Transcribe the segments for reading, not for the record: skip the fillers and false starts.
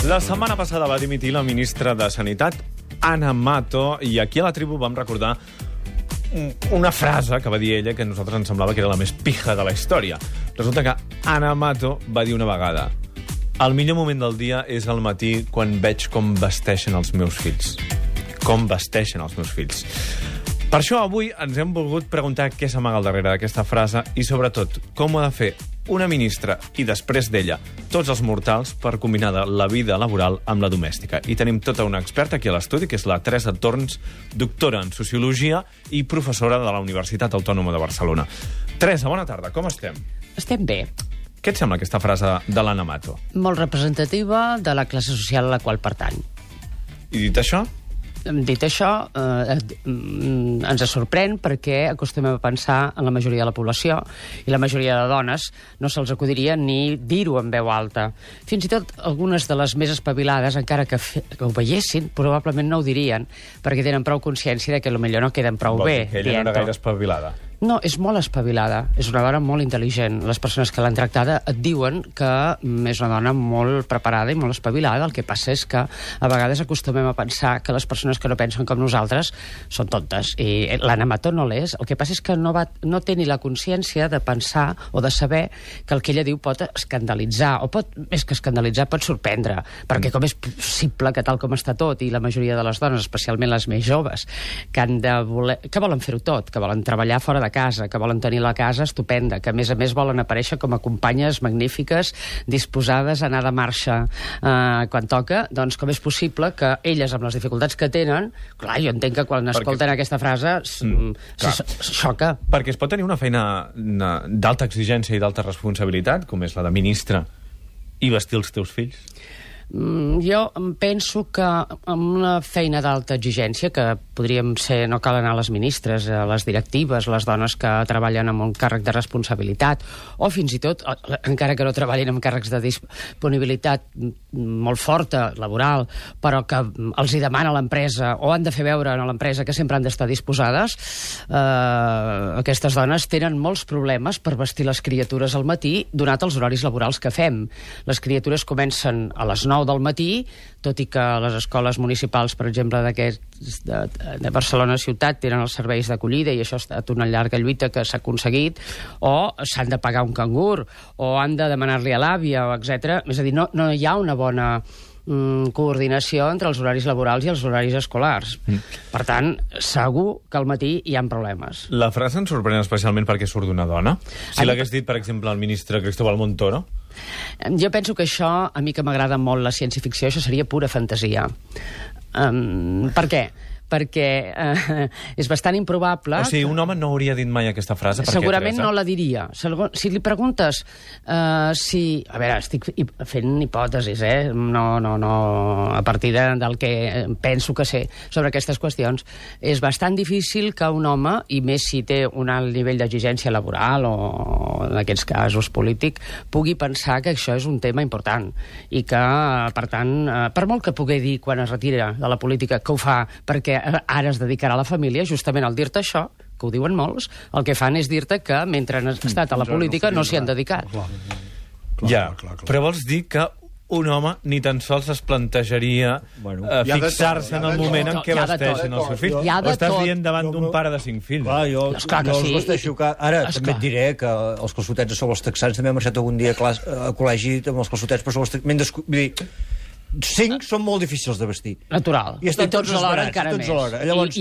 La setmana passada va dimitir la ministra de Sanitat, Ana Mato, i aquí a la tribu vam recordar una frase que va dir ella que a nosaltres ens semblava que era la més pija de la història. Resulta que Ana Mato va dir una vegada: el millor moment del dia és al matí quan veig com vesteixen els meus fills. Com vesteixen els meus fills. Per això avui ens hem volgut preguntar què s'amaga al darrere d'aquesta frase i, sobretot, com ho ha de fer una ministra i, després d'ella, tots els mortals per combinar la vida laboral amb la domèstica. I tenim tota una experta aquí a l'estudi, que és la Teresa Torns, doctora en Sociologia i professora de la Universitat Autònoma de Barcelona. Teresa, bona tarda, com estem? Estem bé. Què et sembla aquesta frase de l'Ana Mato? Molt representativa de la classe social a la qual pertany. I dit això? Dit això, ens sorprèn perquè acostumem a pensar en la majoria de la població i la majoria de dones no se'ls acudiria ni dir-ho en veu alta. Fins i tot algunes de les més espavilades, encara que ho veiessin, probablement no ho dirien perquè tenen prou consciència de que potser no queden prou bé. Que ella no era gaire espavilada. No, és molt espavilada. És una dona molt intel·ligent. Les persones que l'han tractada et diuen que és una dona molt preparada i molt espavilada. El que passa és que a vegades acostumem a pensar que les persones que no pensen com nosaltres són tontes. I l'Ana Mato no l'és. El que passa és que no té ni la consciència de pensar o de saber que el que ella diu pot escandalitzar, o més que escandalitzar, pot sorprendre. Perquè com és possible que tal com està tot, i la majoria de les dones, especialment les més joves, que volen fer-ho tot, que volen treballar fora de casa, que volen tenir la casa estupenda, que a més volen aparèixer com a companyes magnífiques, disposades a anar de marxa quan toca, doncs com és possible que elles, amb les dificultats que tenen, clar, jo entenc que quan escolten aquesta frase xoca. Perquè es pot tenir una feina d'alta exigència i d'alta responsabilitat, com és la de ministra, i vestir els teus fills? Jo penso que amb una feina d'alta exigència, que podríem ser, no cal anar a les ministres, a les directives, les dones que treballen amb un càrrec de responsabilitat, o fins i tot, encara que no treballin amb càrrecs de disponibilitat molt forta, laboral, però que els hi demana l'empresa, o han de fer veure a l'empresa que sempre han d'estar disposades, aquestes dones tenen molts problemes per vestir les criatures al matí, donat els horaris laborals que fem. Les criatures comencen a les 9 del matí, tot i que les escoles municipals, per exemple, de Barcelona ciutat, tenen els serveis d'acollida, i això ha estat una llarga lluita que s'ha aconseguit, o s'han de pagar un cangur, o han de demanar-li a l'àvia, etc. És a dir, no hi ha una bona coordinació entre els horaris laborals i els horaris escolars. Per tant, segur que al matí hi ha problemes. La frase ens sorprèn especialment perquè surt d'una dona. Si l'hagués dit, per exemple, el ministre Cristóbal Montoro. Jo penso que això, a mi que m'agrada molt la ciència-ficció, això seria pura fantasia. Per què? Perquè és bastant improbable... O sigui, un home no hauria dit mai aquesta frase? Segurament no la diria. Si li preguntes si... A veure, estic fent hipòtesis, no, a partir del que penso que sé sobre aquestes qüestions. És bastant difícil que un home, i més si té un alt nivell d'exigència laboral o, en aquests casos, polític, pugui pensar que això és un tema important i que, per tant, per molt que pugui dir quan es retira de la política que ho fa perquè ara es dedicarà a la família, justament al dir-te això, que ho diuen molts, el que fan és dir-te que mentre han estat a la política no s'hi han dedicat. Ja, però vols dir que un home ni tan sols es plantejaria fixar-se en el moment en què vesteixen els seus fills? O estàs dient davant d'un pare de 5 fills? Clar, jo els vesteixo... Ara també et diré que els calçotets a sobre els texans també he marxat algun dia a col·legi amb els calçotets per sobre els texans. Vull dir, 5 són molt difícils de vestir. Natural. I tots alhora encara més. Llavors,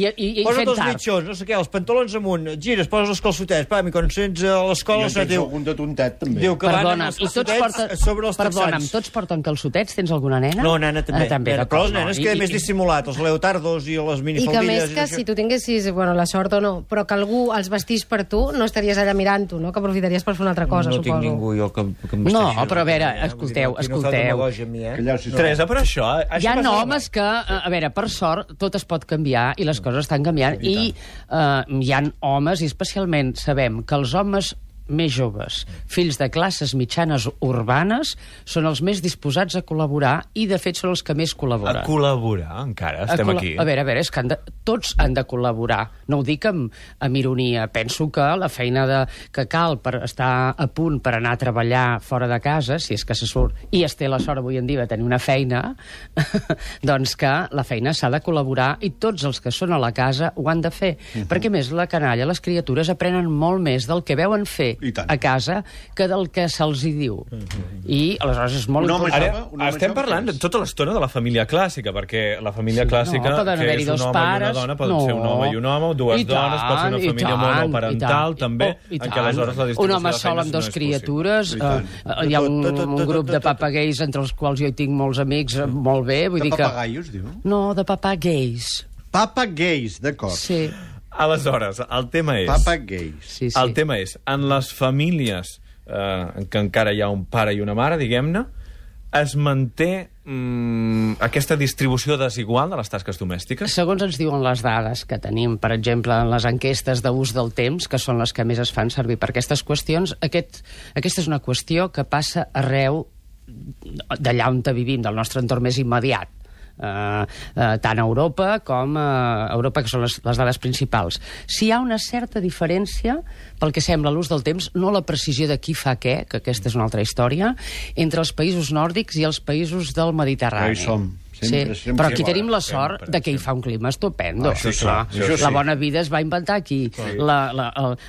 posa't els mitjons, no sé què, els pantalons amunt, gires, poses els calçotets, i quan sents a l'escola... Jo tens algun de tontet, també. Diu que van amb els calçotets sobre els texans. Perdona'm, tots porten calçotets? Tens alguna nena? No, nena també. Però les nenes queda més dissimulat, els leotardos i les minifaldilles... I que més que si tu tinguessis, la sort o no, però que algú els vestís per tu, no estaries allà mirant-ho, no? Que aprofitaries per fer una altra cosa, suposo. No tinc ningú jo que em vesteixi. No, però a veure, escolteu. Teresa, però això... Hi ha homes que, a veure, per sort, tot es pot canviar i les coses estan canviant. I hi ha homes, i especialment sabem que els homes més joves, fills de classes mitjanes urbanes, són els més disposats a col·laborar i, de fet, són els que més col·laboren. A col·laborar, encara, estem aquí. A veure, és que tots han de col·laborar. No ho dic amb ironia. Penso que la feina que cal per estar a punt per anar a treballar fora de casa, si és que se surt, i es té la sort avui en dia de tenir una feina, doncs que la feina s'ha de col·laborar i tots els que són a la casa ho han de fer. Perquè, més, la canalla, les criatures aprenen molt més del que veuen fer a casa que del que se'ls hi diu. I, aleshores, és molt important. Ara, estem parlant tota l'estona de la família clàssica, perquè la família clàssica, que és un home i una dona, poden ser un home i un home, dues dones, pot ser una família monoparental, també, en què aleshores la distribució de feines no és qüestió. Un home sol amb dos criatures, hi ha un grup de papageis entre els quals jo hi tinc molts amics, molt bé, vull dir que... De papagaios, diu? No, de papageis. Papageis, d'acord. Sí. Aleshores, el tema és... Papageis. Sí. El tema és, en les famílies en què encara hi ha un pare i una mare, diguem-ne, es manté aquesta distribució desigual de les tasques domèstiques? Segons ens diuen les dades que tenim, per exemple, en les enquestes d'ús del temps, que són les que més es fan servir per aquestes qüestions, aquesta és una qüestió que passa arreu d'allà on vivim, del nostre entorn més immediat. Tant a Europa com a Europa, que són les dades principals. Si hi ha una certa diferència, pel que sembla l'ús del temps, no la precisió de qui fa què, que aquesta és una altra història, entre els països nòrdics i els països del Mediterrani. Ja hi som. Sempre. Però aquí tenim la sort de que hi fa un clima estupendo. La bona vida es va inventar aquí.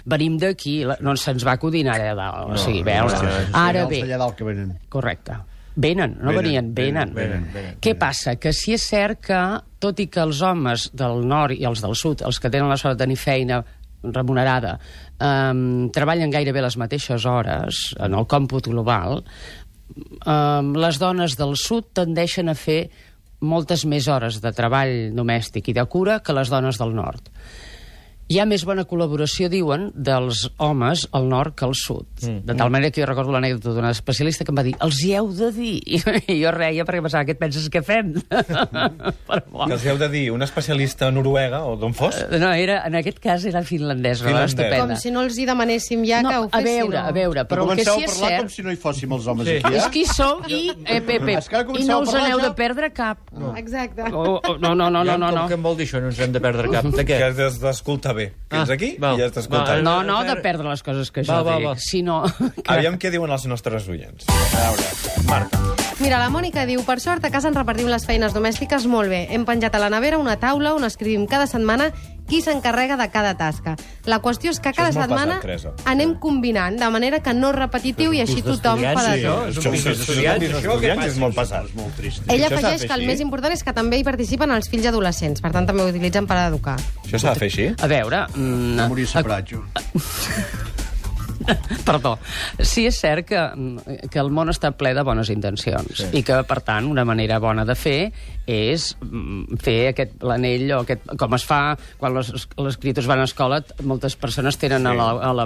Venim d'aquí, no se'ns va acudir allà dalt. O sigui, veure. Ara bé. Allà dalt que venen. Correcte. Venen. Què passa? Que si és cert que, tot i que els homes del nord i els del sud, els que tenen la sort de tenir feina remunerada, treballen gairebé les mateixes hores en el còmput global, les dones del sud tendeixen a fer moltes més hores de treball domèstic i de cura que les dones del nord. Hi ha més bona col·laboració, diuen, dels homes al nord que al sud. De tal manera que jo recordo l'anècdota d'una especialista que em va dir, els hi heu de dir. I jo reia perquè pensava, què et penses que fem? Que els hi heu de dir una especialista noruega o d'on fos? No, en aquest cas era finlandesa. Com si no els hi demanéssim ja que ho fessin. A veure, però el que sí és cert... Comenceu a parlar com si no hi fóssim els homes aquí, És que hi som i no us n'heu de perdre cap. Exacte. No. Què em vol dir això? No ens hem de perdre cap. De què? Que has d'escoltar bé. Fins aquí i ja estàs escoltant. No, de perdre les coses que jo dic. Sinó... Aviam què diuen els nostres oients. A veure, Marta. Mira, la Mònica diu, per sort a casa ens repartim les feines domèstiques molt bé. Hem penjat a la nevera una taula on escrivim cada setmana qui s'encarrega de cada tasca. La qüestió és que cada setmana anem combinant, de manera que no és repetitiu i així tothom fa de tot. Estudiants és molt passat. Ella afegeix que el més important és que també hi participen els fills adolescents, per tant també ho utilitzen per educar. Això s'ha de fer així? A veure... Morir separat, jo. Perdó. Sí, és cert que el món està ple de bones intencions i que, per tant, una manera bona de fer és fer l'anell, com es fa quan les criatures van a escola, moltes persones tenen a la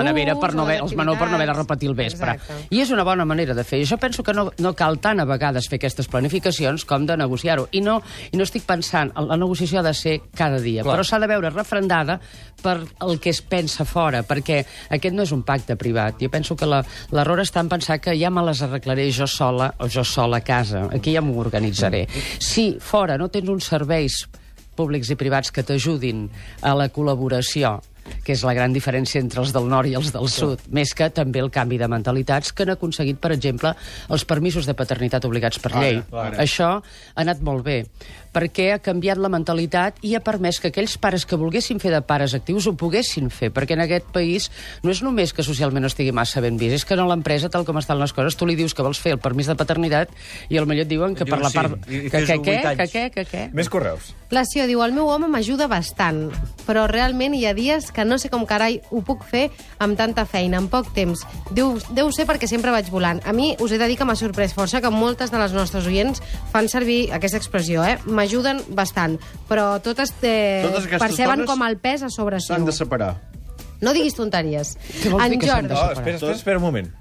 nevera per no haver de repetir el vespre. I és una bona manera de fer. Jo penso que no cal tant a vegades fer aquestes planificacions com de negociar-ho. I no estic pensant, la negociació ha de ser cada dia, però s'ha de veure refrendada per el que es pensa fora, perquè aquest no és un pacte privat. Jo penso que l'error està en pensar que ja me les arreglaré jo sola o jo sola a casa. Aquí ja m'ho organitzaré. Si fora no tens uns serveis públics i privats que t'ajudin a la col·laboració, que és la gran diferència entre els del nord i els del sud, més que també el canvi de mentalitats que han aconseguit, per exemple, els permisos de paternitat obligats per llei. Això ha anat molt bé, perquè ha canviat la mentalitat i ha permès que aquells pares que volguessin fer de pares actius ho poguessin fer, perquè en aquest país no és només que socialment no estigui massa ben vist, és que a l'empresa, tal com estan les coses, tu li dius que vols fer el permís de paternitat i potser et diuen que per la part... Què? Més correus. La Sió diu, el meu home m'ajuda bastant, però realment hi ha dies que no sé com carai ho puc fer amb tanta feina, en poc temps. Deu ser perquè sempre vaig volant. A mi us he de dir que m'ha sorprès força que moltes de les nostres oients fan servir aquesta expressió, m'ajuden bastant, però totes perceben com el pes a sobre seu. S'han de separar. No diguis tonteries. Què vols dir que s'han de separar? Espera un moment.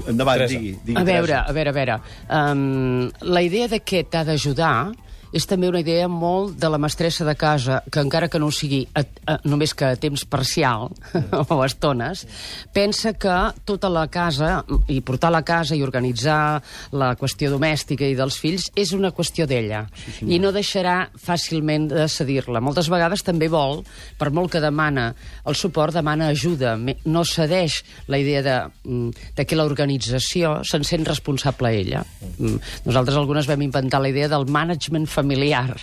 Endavant, digui. A veure. La idea de que t'ha d'ajudar és també una idea molt de la mestressa de casa, que encara que no ho sigui només que a temps parcial o a estones, pensa que tota la casa, i portar la casa i organitzar la qüestió domèstica i dels fills, és una qüestió d'ella. I no deixarà fàcilment de cedir-la. Moltes vegades també vol, per molt que demana el suport, demana ajuda. No cedeix la idea de que l'organització se'n sent responsable ella. Nosaltres algunes vam inventar la idea del management familiar.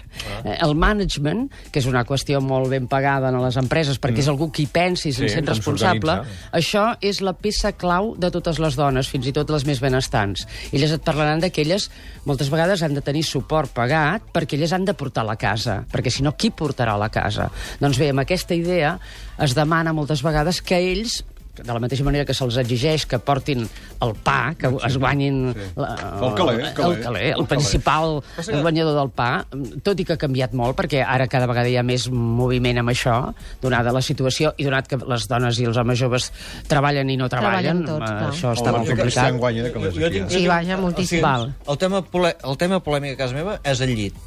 El management, que és una qüestió molt ben pagada en les empreses, perquè és algú qui pensa i se'n sent responsable, això és la peça clau de totes les dones, fins i tot les més benestants. Elles et parlaran que elles moltes vegades han de tenir suport pagat perquè elles han de portar la casa, perquè si no, qui portarà la casa? Doncs bé, amb aquesta idea es demana moltes vegades que ells, de la mateixa manera que se'ls exigeix que portin el pa, que es guanyin el principal guanyador del pa, tot i que ha canviat molt, perquè ara cada vegada hi ha més moviment amb això, donada la situació, i donat que les dones i els homes joves treballen i no treballen, això està molt complicat. Sí, vaja, moltíssim. El tema polèmic a casa meva és el llit.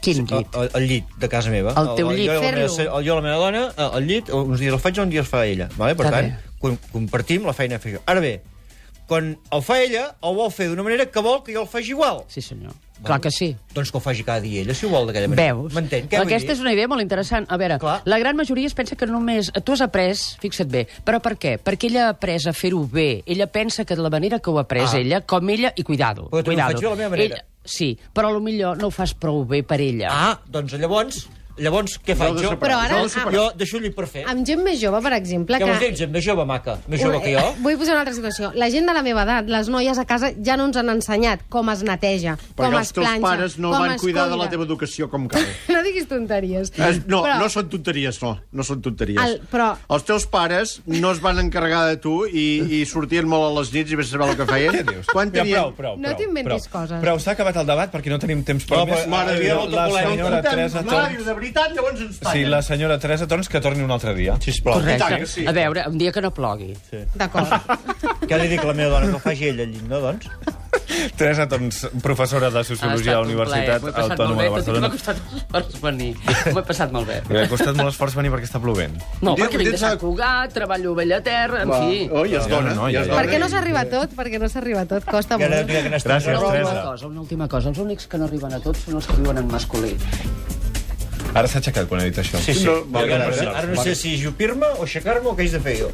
Quin llit? El llit de casa meva. El teu llit. Jo i la meva dona, el llit, uns dies el faig i uns dies el fa ella. Per tant, compartim la feina a fer jo. Ara bé, quan el fa ella, el vol fer d'una manera que vol que jo el faci igual. Sí, senyor. Clar que sí. Doncs que ho faci cada dia ella, si ho vol d'aquella manera. Veus? M'entén? Aquesta és una idea molt interessant. A veure, la gran majoria es pensa que només... Tu has après, fixa't bé, però per què? Perquè ella ha après a fer-ho bé. Ella pensa que de la manera que ho ha après ella, com ella, i cuidado. Però tu ho faig jo de la meva manera. Sí, però potser no ho fas prou bé per ella. Doncs llavors què faig jo? Però ara... Jo deixo el llit per fer. Amb gent més jove, per exemple... Què vols dir, gent més jove, maca? Més jove que jo? Vull posar una altra situació. La gent de la meva edat, les noies a casa, ja no ens han ensenyat com es neteja, com es planxa, com es Perquè els teus pares no van cuidar de la teva educació com cal. No diguis tonteries. No són tonteries, no són tonteries. Però... Els teus pares no es van encarregar de tu i sortien molt a les nits i vés a saber el que feien. Què dius? Prou. No t'inventis coses. Però s'ha acabat el debat perquè no tenim temps per més. La senyora Teresa Torns... De veritat, llavors ens sí, la senyora Teresa Torns que torni un altre dia. Sisplau. Correcte. A veure, un dia que no plogui. D'acord. Què li dic a la meva dona? Que ho faci ella al llit, no, doncs? Teresa Torns, professora de Sociologia a la Universitat Autònoma de Barcelona. M'ha costat molt esforç venir. M'ho he passat molt bé. M'ha costat molt esforç venir perquè està plovent. No, perquè vinc de Sant Cugat, treballo a Bellaterra, en fi. I es dona. Per què no s'arriba a tot? Perquè no s'arriba a tot, costa molt. Gràcies, Teresa. Una última cosa. Els únics que no arriben a tot són els que viuen en masculí. Ara s'ha aixecat quan ha dit això. Sí. Ara no sé si jupir-me o aixecar-me o què haig de fer jo.